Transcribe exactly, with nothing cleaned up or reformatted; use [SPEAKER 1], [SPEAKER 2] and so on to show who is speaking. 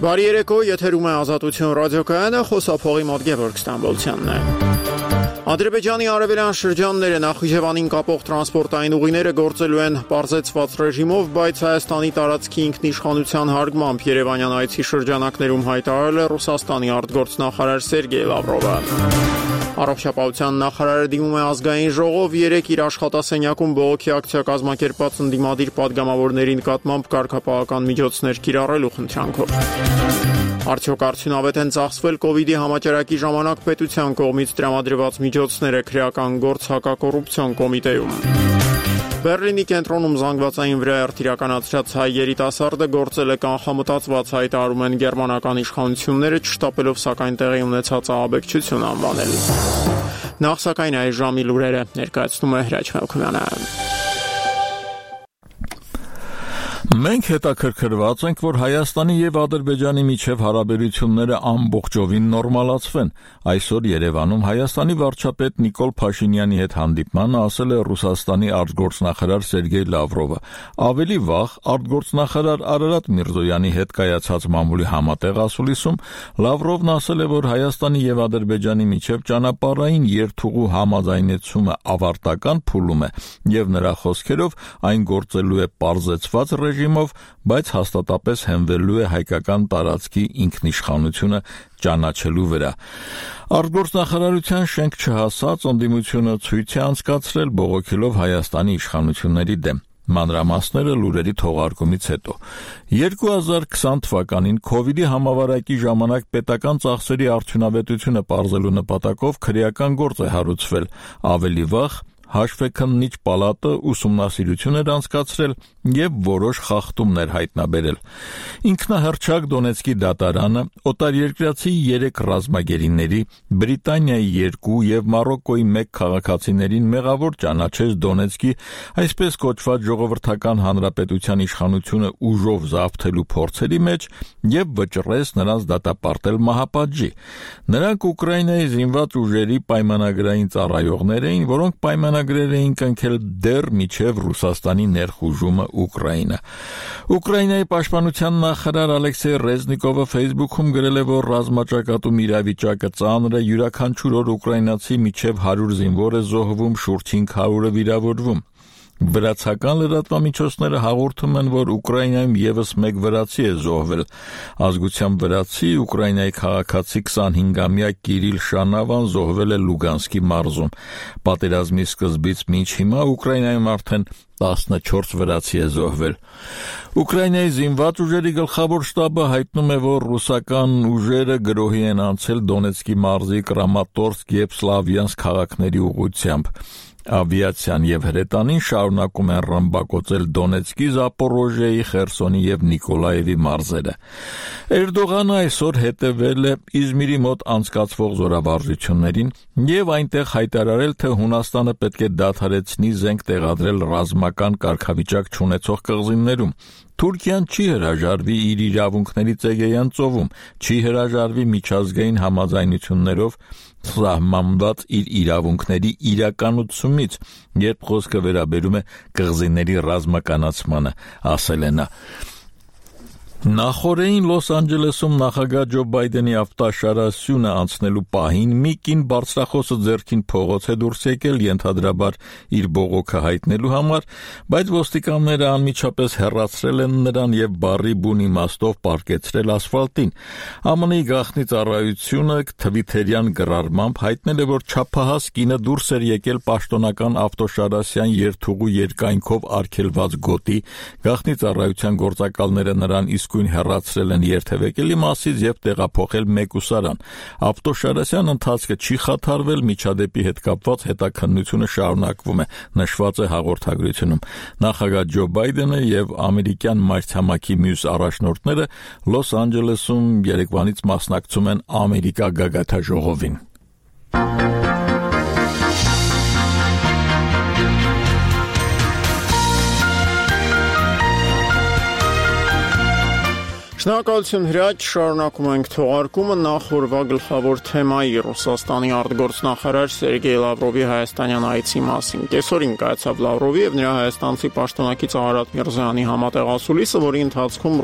[SPEAKER 1] Բարի երեկո, եթերում է Ազատություն ռադիոկայանը, խոսափողի մոտ Գևորգ Ստամբոլցյանն է։ Ադրբեջանի արևելյան շրջանները Նախիջևանին կապող տրանսպորտային ուղիները գործելու են պարզեցված ռեժիմով, բայց Հայաստանի տարածքի ինքնիշխանության հարգմամբ Երևանյան այցի շրջանակներում հայտարարել է Ռուսաստանի արտգործնախարար Սերգեյ Լավրովը։ Առողջապահության նախարարը դիմում է ազգային ժողով երեկ իր աշխատասենյակում բողոքի ակցիա կազմակերպած ընդդիմադիր պատգամավորների նկատմամբ կարգապահական միջոցներ կիրառելու խնդրանքով։ Արդյոք արդյունավետ են ծախսվել կովիդի համաճարակի ժամանակ պետության կողմից տրամադրված միջոցները քրեական գործ հակակոռուպցիոն կոմիտեում։ Բերլինի կենտրոնում զանգվածային վրայերթ իրականացրած հայ երիտասարդը գործել է կանխամտածված, հայտարարում են գերմանական իշխանությունները, չշտապելով սակայն տեղի ունեցած ահաբեկչություն անվանել։ Նախ սակայն այս ժամի լուրերը ներկայացնում է Հրաչ Մելքումյանը։
[SPEAKER 2] Մենք հետաքրքրված ենք, որ Հայաստանի եւ Ադրբեջանի միջև հարաբերությունները ամբողջովին նորմալացվեն։ Այսօր Երևանում Հայաստանի վարչապետ Նիկոլ Փաշինյանի հետ հանդիպմանը ասել է Ռուսաստանի արտգործնախարար Սերգեյ Լավրովը։ Ավելի վաղ արտգործնախարար Արարատ Միրզոյանի հետ կայացած մամուլի համատեղ ասուլիսում Լավրովն ասել է, որ Հայաստանի եւ Ադրբեջանի միջև ճանապարհային երթուղու համաձայնեցումը ավարտական փուլում է եւ նրա խոսքերով այն գործելու է պարզեցված ռեժիմով, բայց հաստատապես հենվելու է հայկական տարածքի ինքնիշխանությունը ճանաչելու վրա։ Արտգործնախարարության շենք չհասած ընդդիմությունը ցույց է անցկացրել բողոքելով Հայաստանի իշխանությունների դեմ։ Մանրամասները լուրերի թողարկումից հետո։ երկու հազար քսան թվականին կովիդի համավարակի ժամանակ պետական ծախսերի արդյունավետությունը պարզելու նպատակով քրեական գործ է հարուցվել։ Ավելի վաղ Հաշվեկննիչ պալատը ուսումնասիրություն էր անցկացրել եւ որոշ խախտումներ հայտնաբերել։ Ինքնահռչակ Դոնեցկի դատարանը օտարերկրացի երեք ռազմագերիների, Բրիտանիայի երկու եւ Մարոկկոյի մեկ քաղաքացիներին մեղավոր ճանաչեց Դոնեցկի այսպես կոչված ժողովրդական հանրապետության իշխանությունը ուժով զավթելու փորձերի մեջ եւ վճռեց նրանց դատապարտել մահապատժի։ Նրանք Ուկրաինայի զինված ուժերի պայմանագրային ծառայողներ էին, որոնք պայմանագրեր էին կնքել դեռ մինչև Ռուսաստանի ներխուժումը Ուկրաինա։ Ուկրաինայի պաշտպանության նախարար Ալեքսեյ Ռեզնիկովը Facebook-ում գրել է, որ ռազմաճակատում իրավիճակը ծանր է, յուրաքանչյուր օր ուկրաինացի մինչև հարյուր զինվոր է զոհվում, շուրջ հինգ հարյուրը վիրավորվում։ Վրացական լրատվամիջոցները հաղորդում են, որ Ուկրաինայում եւս մեկ վրացի է զոհվել։ Ազգությամբ վրացի Ուկրաինայի քաղաքացի քսանհինգամյա Կիրիլ Շանավան զոհվել է Լուգանսկի մարզում։ Պատերազմի սկզբից մինչ հիմա Ուկրաինայում արդեն տասնչորս վրացի է զոհվել։ Ուկրաինայի զինված ուժերի գլխավոր շտաբը հայտնում է, որ ռուսական ուժերը գրոհի են անցել Դոնեցկի մարզի Կրամատորսկ եւ Սլավյանսկ քաղաքների ուղղությամբ։ Ավիացիան եւ հրետանին շարունակում են ռմբակոծել Դոնեցկի, Զապորոժիայի, Խերսոնի եւ Նիկոլաևի մարզերը։ Էրդողանը այսօր հետևել է Իզմիրի մոտ անցկացվող զորավարժություններին եւ այնտեղ հայտարարել, թե Հունաստանը պետք է դադարեցնի զենք տեղադրել ռազմական կարգավիճակ չունեցող կղզիներում։ Թուրքիան չի հրաժարվի իր իրավունքների ծեգեյան ծովում, չի հրաժարվի միջազգային համաձայնություններով սահմանված իր իրավունքների իրականացումից, երբ խոսքը վերաբերում է կղզիների ռազմականացմանը, ասել է նա։ Նախորդին Լոս Անջելեսում նախագահ Ջո Բայդենի ավտաշարասյունը անցնելու պահին մի կին բարձրախոսը ձեռքին փողոց է դուրս եկել ենթադրաբար իր բողոքը հայտնելու համար, բայց ոստիկանները անմիջապես հեռացրել են նրան եւ բարի բուն իմաստով պարկեցրել ասֆալտին։ ԱՄՆ-ի գաղտնի ծառայությունը թվիթերյան գրառմամբ հայտնել է, որ չափահաս կինը դուրս էր եկել պաշտոնական ավտոշարասյան երթուղու երկայնքով արգելված գոտի, գաղտնի ծառայության գործակալները նրան իսկ հեռացրել են երթևեկելի մասից եւ տեղափոխել մեկուսարան։ Ավտոշարասյան ընթացքը չի խաթարվել, միջադեպի հետ կապված հետաքննությունը շարունակվում է, նշված է հաղորդագրությունում։ Նախագահ Ջո Բայդենը եւ ամերիկյան մայրցամաքի մյուս առաջնորդները Լոս Անջելեսում երեկվանից մասնակցում են Ամերիկա գագաթաժողովին։
[SPEAKER 1] Շնորհակալություն Հրաչ, շարունակում ենք թողարկումը նախորդ գլխավոր թեմայի Ռուսաստանի արտգործնախարար Սերգեյ Լավրովի հայաստանյան այցի մասին։ Կեսօրին կայացավ Լավրովի եւ նրա հայաստանցի պաշտոնակից Արարատ Միրզոյանի համատեղ ասուլիսը, որի ընթացքում